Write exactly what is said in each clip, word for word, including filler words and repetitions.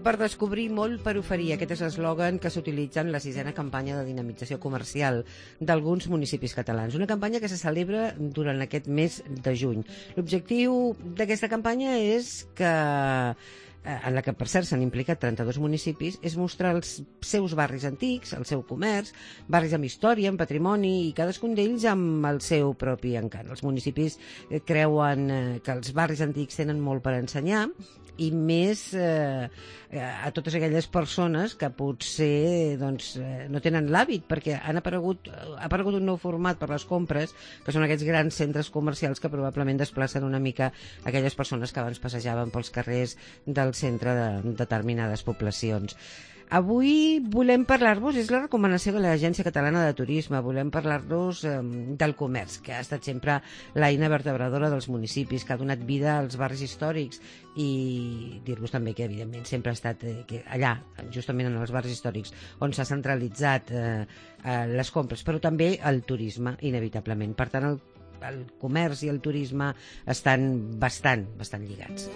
per descobrir, molt per oferir. Aquest és l'eslògan que s'utilitza en la sisena campanya de dinamització comercial d'alguns municipis catalans. Una campanya que se celebra durant aquest mes de juny. L'objectiu d'aquesta campanya és que en la que, per cert, s'han implicat trenta-dos municipis, és mostrar els seus barris antics, el seu comerç, barris amb història, amb patrimoni, i cadascun d'ells amb el seu propi encant. Els municipis creuen que els barris antics tenen molt per ensenyar, i més eh, a totes aquelles persones que potser doncs, no tenen l'hàbit, perquè han aparegut, ha aparegut un nou format per les compres, que són aquests grans centres comercials que probablement desplacen una mica aquelles persones que abans passejaven pels carrers del centre de determinades poblacions. Avui volem parlar-vos, és la recomanació de l'Agència Catalana de Turisme, volem parlar-vos eh, del comerç, que ha estat sempre l'eina vertebradora dels municipis, que ha donat vida als barris històrics, i dir-vos també que, evidentment, sempre ha estat eh, que allà, justament en els barris històrics, on s'ha centralitzat eh, eh, les compres, però també el turisme, inevitablement. Per tant, el, el comerç i el turisme estan bastant, bastant lligats.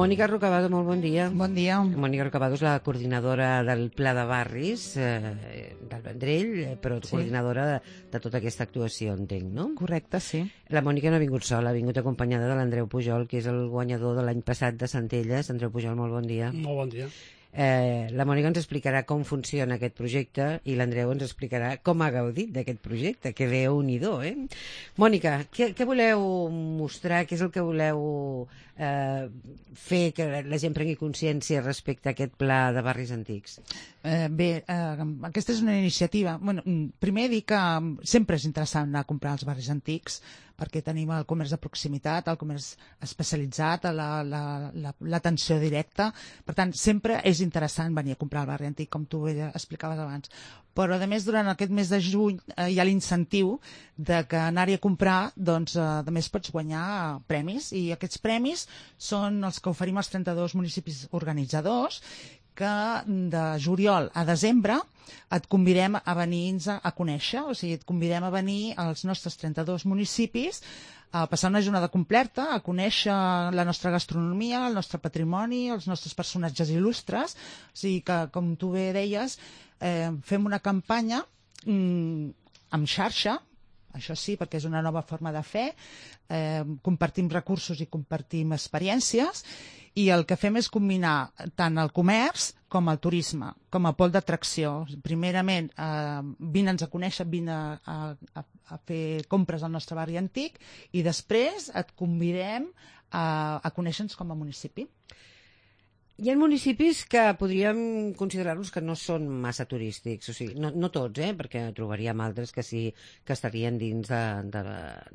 Mònica Rocabado, molt bon dia. Bon dia. Mònica Rocabado és la coordinadora del Pla de Barris eh, del Vendrell, però sí. coordinadora de, de tota aquesta actuació, entenc, no? Correcte, sí. La Mònica no ha vingut sola, ha vingut acompanyada de l'Andreu Pujol, que és el guanyador de l'any passat de Centelles. Andreu Pujol, molt bon dia. Molt bon dia. Eh, la Mònica ens explicarà com funciona aquest projecte i l'Andreu ens explicarà com ha gaudit d'aquest projecte, que déu-n'hi-do, eh? Mònica, què, què voleu mostrar, què és el que voleu eh, fer que la gent prengui consciència respecte a aquest pla de barris antics? Eh, bé, eh, aquesta és una iniciativa. Bueno, primer dir que sempre és interessant anar a comprar als barris antics, perquè tenim el comerç de proximitat, el comerç especialitzat, l'atenció la, la, directa. Per tant, sempre és interessant venir a comprar al barri antic, com tu explicaves abans. Però, a més, durant aquest mes de juny eh, hi ha l'incentiu de que anar-hi a comprar, doncs, eh, a més, pots guanyar premis, i aquests premis són els que oferim als trenta-dos municipis organitzadors, que de juliol a desembre et convidem a venir-nos a conèixer, o sigui, et convidem a venir als nostres trenta-dos municipis a passar una jornada completa, a conèixer la nostra gastronomia, el nostre patrimoni, els nostres personatges il·lustres. O sigui que, com tu bé deies, eh, fem una campanya mm, amb xarxa, això sí, perquè és una nova forma de fer, eh, compartim recursos i compartim experiències, i el que fem és combinar tant el comerç com el turisme, com a pol d'atracció. Primerament, eh, vine'ns a conèixer, vine a, a, a fer compres al nostre barri antic, i després et convidem a, a conèixer-nos com a municipi. Hi ha municipis que podríem considerar-los que no són massa turístics, o sigui, no, no tots, eh, perquè trobaríem altres que sí que estarien dins de, de,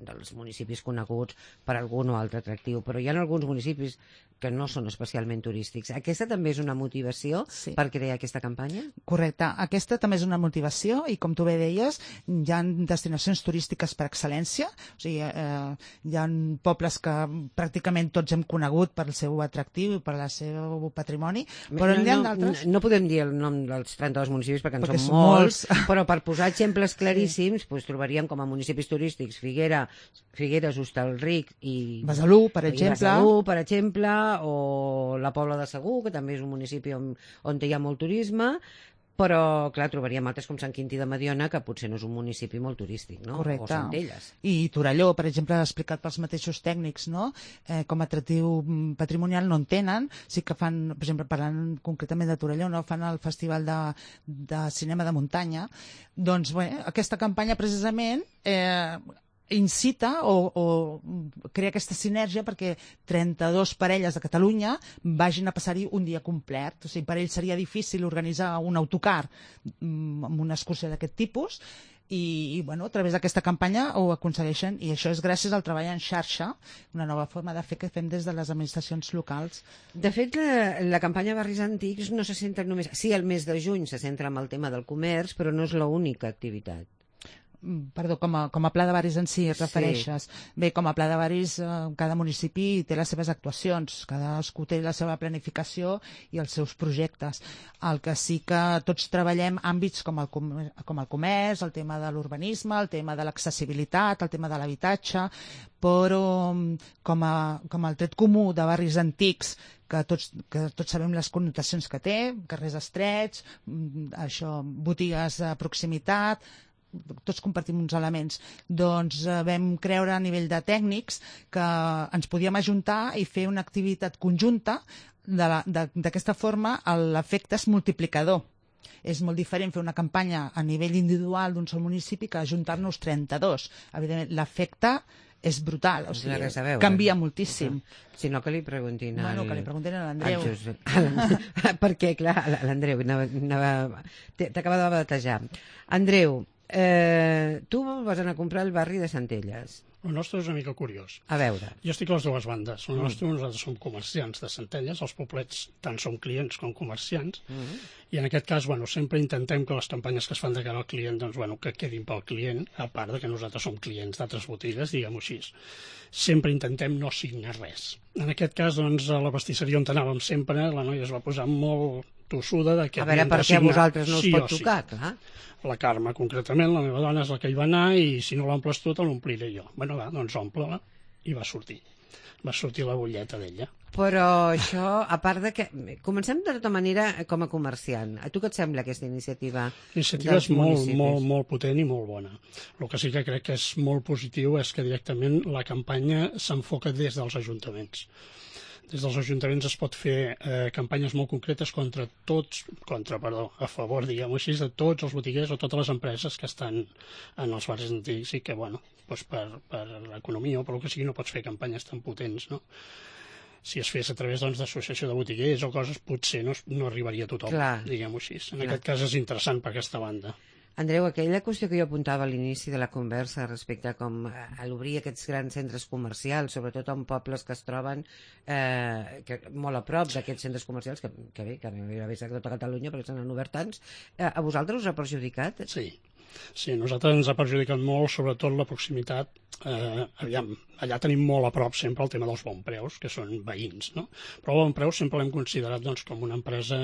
dels municipis coneguts per algun o altre atractiu, però hi ha alguns municipis que no són especialment turístics. Aquesta també és una motivació sí. per crear aquesta campanya? Correcte, aquesta també és una motivació, i com tu bé deies, hi ha destinacions turístiques per excel·lència, o sigui, eh, hi ha pobles que pràcticament tots hem conegut per el seu atractiu i per la seva patrimoni, però no, n'hi ha no, d'altres... No podem dir el nom dels trenta-dos municipis perquè en perquè són, són molts, molts, però per posar exemples claríssims, sí. doncs trobaríem com a municipis turístics Figuera, Figueres, Hostalric i... Besalú, per exemple. Besalú, per exemple, o la Pobla de Segur, que també és un municipi on, on hi ha molt turisme, però, clar, trobaríem altres com Sant Quintí de Mediona, que potser no és un municipi molt turístic, no? Correcte. O Centelles. I Torelló, per exemple, explicat pels mateixos tècnics, no? Eh, com a atractiu patrimonial no en tenen, sí que fan, per exemple, parlant concretament de Torelló, no? Fan el Festival de, de Cinema de Muntanya. Doncs, bé, aquesta campanya, precisament, eh, incita o, o crea aquesta sinergia perquè trenta-dos parelles de Catalunya vagin a passar-hi un dia complet. O sigui, per ells seria difícil organitzar un autocar amb una excursió d'aquest tipus, i, i bueno, a través d'aquesta campanya ho aconsegueixen, i això és gràcies al treball en xarxa, una nova forma de fer que fem des de les administracions locals. De fet, la, la campanya Barris Antics no se centra només... Sí, el mes de juny se centra en el tema del comerç, però no és l'única activitat. perdó, com a, com a pla de barris en si et refereixes. Sí. Bé, com a pla de barris, eh, cada municipi té les seves actuacions, cadascú té la seva planificació i els seus projectes. El que sí que tots treballem àmbits com el, com el comerç, el tema de l'urbanisme, el tema de l'accessibilitat, el tema de l'habitatge, però com, a, com el tret comú de barris antics, que tots, que tots sabem les connotacions que té, carrers estrets, això, botigues de proximitat, tots compartim uns elements. Doncs eh, vam creure a nivell de tècnics que ens podíem ajuntar i fer una activitat conjunta. D'aquesta forma l'efecte és multiplicador. És molt diferent fer una campanya a nivell individual d'un sol municipi que ajuntar-nos trenta-dos. Evidentment, l'efecte és brutal, o sigui, veure, canvia moltíssim. Si no, que li preguntin al... Bueno, que li preguntin a l'Andreu. Perquè, clar, l'Andreu t'acaba de batejar. Andreu, eh, tu vas anar a comprar al barri de Centelles. El nostre és una mica curiós. A veure. Jo estic a les dues bandes. El nostre, mm. nosaltres som comerciants de Centelles, els poblets tant som clients com comerciants, mm. i en aquest cas, bueno, sempre intentem que les campanyes que es fan de cara al client, doncs, bueno, que quedin pel client, a part de que nosaltres som clients d'altres botigues, diguem-ho així. Sempre intentem no signar res. En aquest cas, doncs, a la pastisseria on anàvem sempre, la noia es va posar molt tossuda de que a veure, per què a vosaltres no us sí pot tocar, sí. Clar. La Carme, concretament, la meva dona és la que hi va anar i si no l'omples tu, te l'ompliré jo. Bueno, va, doncs omple-la. I va sortir. Va sortir la butlleta d'ella. Però això, a part de que... Comencem de tota manera com a comerciant. A tu què et sembla aquesta iniciativa? L'iniciativa és molt, molt, molt potent i molt bona. El que sí que crec que és molt positiu és que directament la campanya s'enfoca des dels ajuntaments. Des dels ajuntaments es pot fer eh, campanyes molt concretes contra tots, contra, perdó, a favor, diguem-ho així, de tots els botiguers o totes les empreses que estan en els barris antics i que, bueno, doncs per, per l'economia o per el que sigui no pots fer campanyes tan potents, no? Si es fes a través doncs, d'associació de botiguers o coses, potser no, no arribaria a tothom, diguem-ho així. En Clar. Aquest cas és interessant per aquesta banda. Andreu, aquella qüestió que jo apuntava a l'inici de la conversa respecte a com a l'obrir aquests grans centres comercials, sobretot en pobles que es troben eh, que, molt a prop d'aquests centres comercials, que, que bé, que no hi havia a tota Catalunya perquè se n'han obert tants, eh, a vosaltres us ha perjudicat? Sí. Sí, a nosaltres ens ha perjudicat molt, sobretot la proximitat. Eh, aviam, allà tenim molt a prop sempre el tema dels Bonpreus, que són veïns, no? Però el Bonpreus sempre l'hem considerat doncs, com una empresa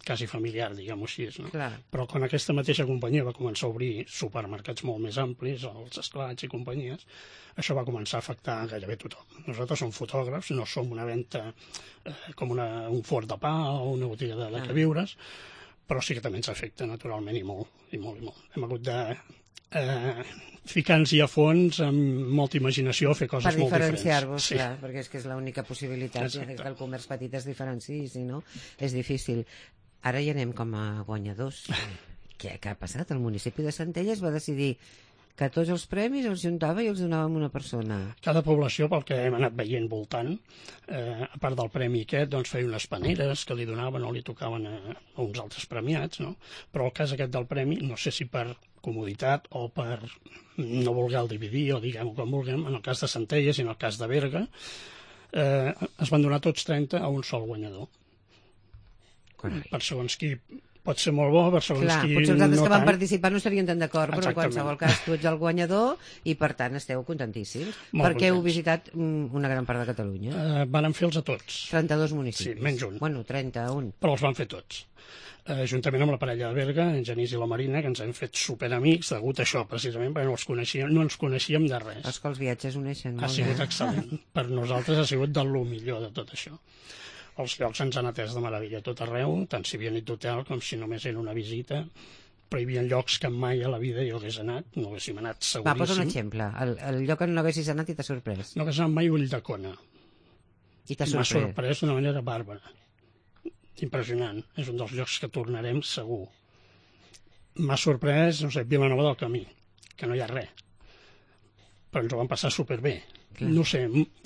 quasi familiar, diguem-ho així, no? Clar. Però quan aquesta mateixa companyia va començar a obrir supermercats molt més amplis, els esclats i companyies, això va començar a afectar gairebé tothom. Nosaltres som fotògrafs, no som una venda eh, com una, un fort de pa o una botiga de, de queviures, però sí que també ens afecta naturalment i molt, i molt, i molt. Hem hagut de eh, ficar-nos-hi a fons amb molta imaginació, fer coses molt diferents. Per diferenciar-vos, sí. Clar, perquè és que és l'única possibilitat Exacte. Que el comerç petit es diferenciï, si no, és difícil. Ara hi anem com a guanyadors. Què, què ha passat? El municipi de Centelles va decidir que tots els premis els juntava i els donava a una persona. Cada població, pel que hem anat veient voltant, eh, a part del premi aquest, doncs feia unes paneres que li donaven o li tocaven a, a uns altres premiats, no? Però el cas aquest del premi, no sé si per comoditat o per no voler el dividir o diguem-ho com vulguem, en el cas de Centelles i en el cas de Berga, eh, es van donar tots trenta a un sol guanyador. Carai. Per segons qui pot ser molt bo, per segons Clar, qui potser els altres no que van tant. participar no estarien tan d'acord, però en qualsevol cas tu ets el guanyador i per tant esteu contentíssims. Molt perquè heu contents. visitat una gran part de Catalunya. Eh, van fer-los a tots. trenta-dos municipis. Sí, menys un. Bueno, trenta-un. Però els van fer tots. Eh, juntament amb la parella de Berga, en Genís i la Marina, que ens hem fet superamics degut a això, precisament, perquè no els coneixíem, no ens coneixíem de res. És que els viatges uneixen molt. Ha sigut eh? excel·lent. Per nosaltres ha sigut del millor de tot això. Els llocs ens han atès de meravella tot arreu, tant si havia nit d'hotel com si només era una visita, però hi havia llocs que mai a la vida jo hagués anat, no haguéssim anat seguríssim. Va, posa un exemple, el, el lloc on no haguessis anat i t'ha sorprès. No hagués anat mai Ulldecona. I t'ha sorprès. M'ha sorprès d'una manera bàrbara. Impressionant. És un dels llocs que tornarem segur. M'ha sorprès, no sé, Vilanova del Camí, que no hi ha res. Però ens ho vam passar superbé. Clar. No sé,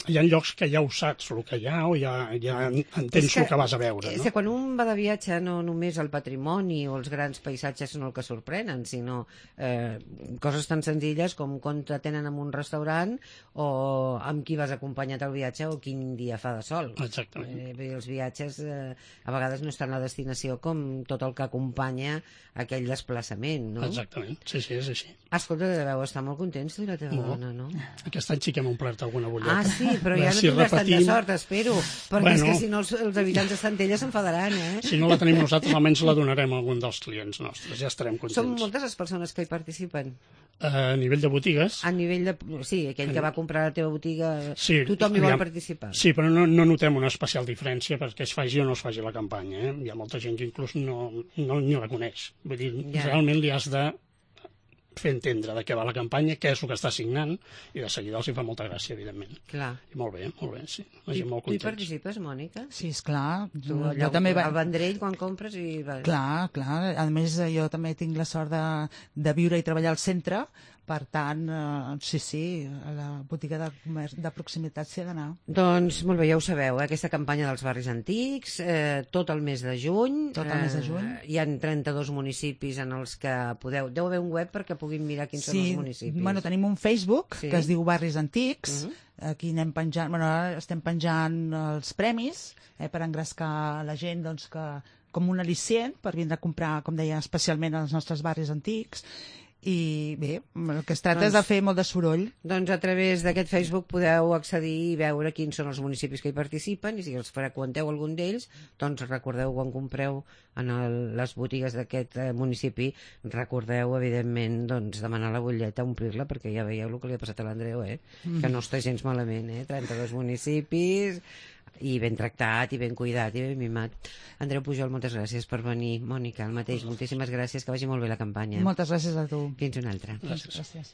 hi ha llocs que ja ho saps el que hi ha o ja, ja entens que, el que vas a veure. És no? que quan un va de viatge no només el patrimoni o els grans paisatges són el que sorprenen, sinó eh, coses tan senzilles com com t'atenen en un restaurant o amb qui vas acompanyat al viatge o quin dia fa de sol. Exactament. Eh, vull dir, els viatges eh, a vegades no és tant la destinació com tot el que acompanya aquell desplaçament, no? Exactament, sí, sí, és així. Escolta, deveu estar molt contents tu i la teva Molt. dona, no? Aquest any sí que hem omplert alguna butlleta. Ah, sí, però ja no si tindràs repetim... tanta sort, espero, perquè Bueno. és que si no els, els habitants de Centella s'enfadaran, eh? Si no la tenim nosaltres, almenys la donarem a algun dels clients nostres, ja estarem contents. Són moltes les persones que hi participen. A nivell de botigues... A nivell de... Sí, aquell que va comprar la teva botiga, sí, tothom hi vol aviam, participar. Sí, però no, no notem una especial diferència perquè es faci o no es faci la campanya. Eh? Hi ha molta gent que inclús no, no ni la coneix. Vull dir, Ja. realment li has de fer entendre de què va la campanya, què és el que està signant, i de seguida els hi fa molta gràcia, evidentment. Clar. I molt bé, molt bé, sí. La I, gent molt tu hi contents. participes, Mònica? Sí, esclar. Tu, Jo, allà, jo també va... al Vendrell, quan compres i... vas- Clar, clar. A més, jo també tinc la sort de, de viure i treballar al centre, per tant, eh, sí, sí, a la botiga de, comerç, de proximitat s'hi ha d'anar. Doncs molt bé, ja ho sabeu, eh? Aquesta campanya dels barris antics, eh, tot el mes de juny. Tot el mes de juny. Eh, hi ha trenta-dos municipis en els que podeu... Deu haver un web perquè puguin mirar quins Sí, són els municipis. bueno, tenim un Facebook Sí. que es diu Barris Antics, Uh -huh. aquí anem penjant, bueno, ara estem penjant els premis eh, per engrescar la gent doncs, que, com un al·licient per vindre a comprar, com deia, especialment als nostres barris antics. I bé, el que es tracta Doncs- és de fer molt de soroll. Doncs a través d'aquest Facebook podeu accedir i veure quins són els municipis que hi participen i si els freqüenteu algun d'ells, doncs recordeu quan compreu en el, les botigues d'aquest eh, municipi, recordeu evidentment doncs, demanar la butlleta, omplir-la, perquè ja veieu el que li ha passat a l'Andreu, eh? Mm. Que no està gens malament, eh? trenta-dos municipis i ben tractat, i ben cuidat, i ben mimat. Andreu Pujol, moltes gràcies per venir. Mònica, el mateix, moltíssimes gràcies, que vagi molt bé la campanya. Moltes gràcies a tu. Fins una altra. Gràcies. Gràcies.